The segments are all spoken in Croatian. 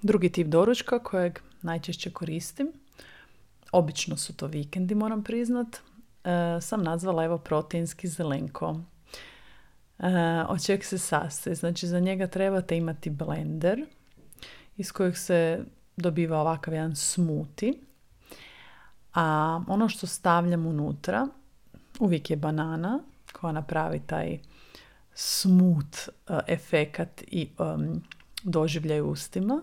Drugi tip doručka kojeg najčešće koristim, obično su to vikendi, moram priznat, sam nazvala evo proteinski zelenko. Od čeg se sastoji? Znači za njega trebate imati blender iz kojeg se dobiva ovakav jedan smoothie. A ono što stavljam unutra uvijek je banana koja napravi taj smooth efekat i doživljaj u ustima.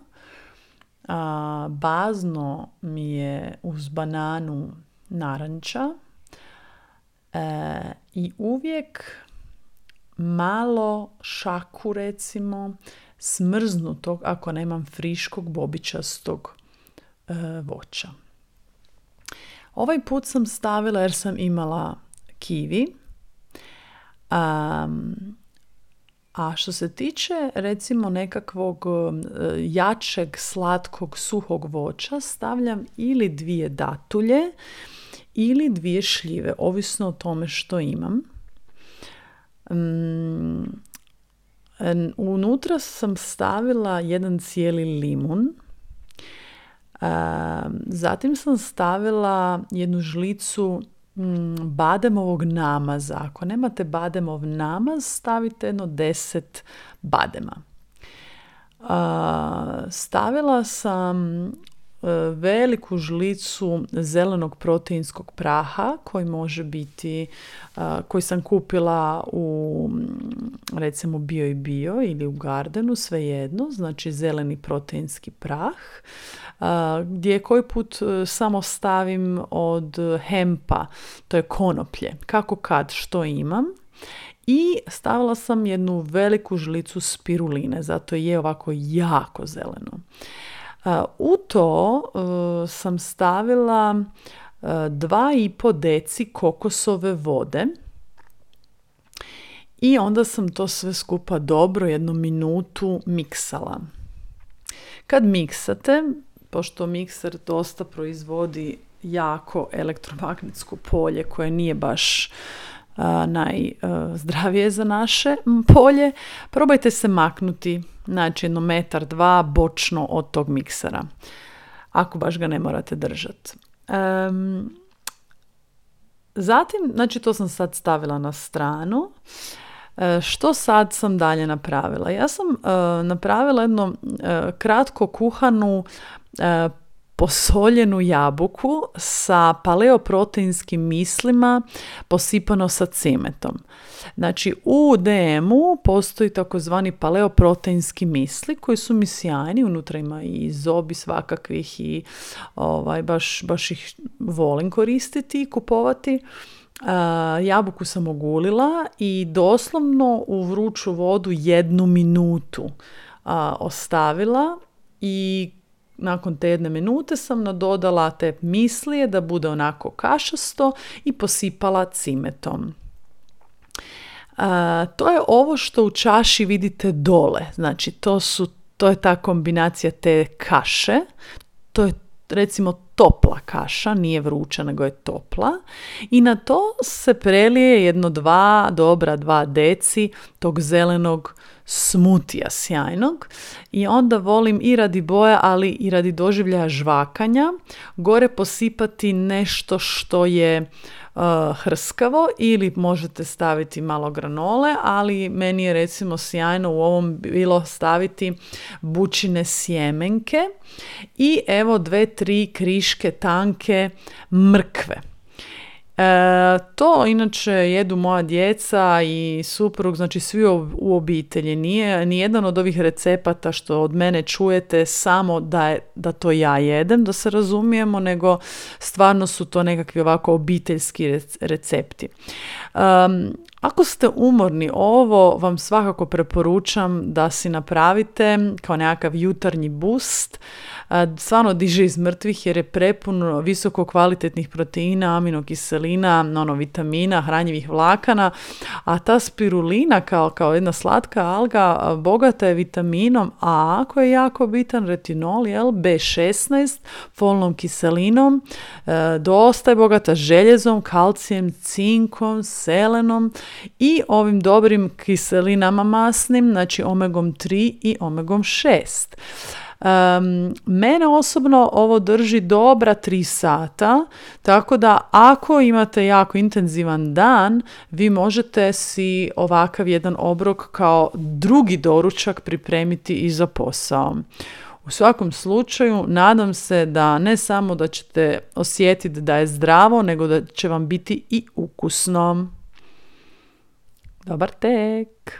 Bazno mi je uz bananu naranča i uvijek malo šaku recimo smrznutog, ako nemam friškog bobičastog voća. Ovaj put sam stavila jer sam imala kiwi. A što se tiče recimo nekakvog jačeg, slatkog, suhog voća, stavljam ili 2 datulje ili 2 šljive, ovisno o tome što imam. Unutra sam stavila 1 cijeli limun. Zatim sam stavila 1 žlicu bademovog namaza. Ako nemate bademov namaz, stavite jedno 10 badema. Stavila sam veliku žlicu zelenog proteinskog praha koji može biti, koji sam kupila u recimo Bio ili u Gardenu, svejedno, znači zeleni proteinski prah, gdje koji put samo stavim od hempa, to je konoplje, kako kad što imam. I stavila sam 1 veliku žlicu spiruline, zato je ovako jako zeleno. U to sam stavila 2,5 deci kokosove vode i onda sam to sve skupa dobro 1 minutu miksala. Kad miksate, pošto mikser dosta proizvodi jako elektromagnetsko polje koje nije baš najzdravije za naše polje, probajte se maknuti, znači 1 metar, 2 bočno od tog miksera, ako baš ga ne morate držati. Zatim, znači to sam sad stavila na stranu. Što sad sam dalje napravila? Ja sam napravila jednu kratko kuhanu posoljenu jabuku sa paleoproteinskim mislima posipano sa cimetom. Znači u DM-u postoji takozvani paleoproteinski misli koji su mi sjajni, unutra ima i zobi svakakvih i baš ih volim koristiti i kupovati. Jabuku sam ogulila i doslovno u vruću vodu 1 minutu ostavila i nakon te 1 minute sam nadodala te mislije da bude onako kašasto i posipala cimetom. To je ovo što u čaši vidite dole. Znači to je ta kombinacija te kaše. To je recimo topla kaša, nije vruća nego je topla. I na to se prelije 2 deci tog zelenog smutija sjajnog i onda volim i radi boja, ali i radi doživljaja žvakanja gore posipati nešto što je hrskavo ili možete staviti malo granole, ali meni je recimo sjajno u ovom bilo staviti bučine sjemenke i evo 2-3 kriške tanke mrkve. To inače jedu moja djeca i suprug, znači svi u obitelji. Nije nijedan od ovih recepata što od mene čujete samo da to ja jedem, da se razumijemo, nego stvarno su to nekakvi ovako obiteljski recepti. Ako ste umorni, ovo vam svakako preporučam da si napravite kao nekakav jutarnji boost. Stvarno diže iz mrtvih jer je prepun visoko kvalitetnih proteina, aminokiselina, vitamina, hranjivih vlakana, a ta spirulina kao jedna slatka alga bogata je vitaminom A koji je jako bitan, retinol, B16, folnom kiselinom, dosta je bogata željezom, kalcijem, cinkom, selenom i ovim dobrim kiselinama masnim, znači omegom 3 i omegom 6. Mene osobno ovo drži dobra 3 sata, tako da ako imate jako intenzivan dan, vi možete si ovakav jedan obrok kao drugi doručak pripremiti i za posao. U svakom slučaju, nadam se da ne samo da ćete osjetiti da je zdravo, nego da će vam biti i ukusno. Dobar tek!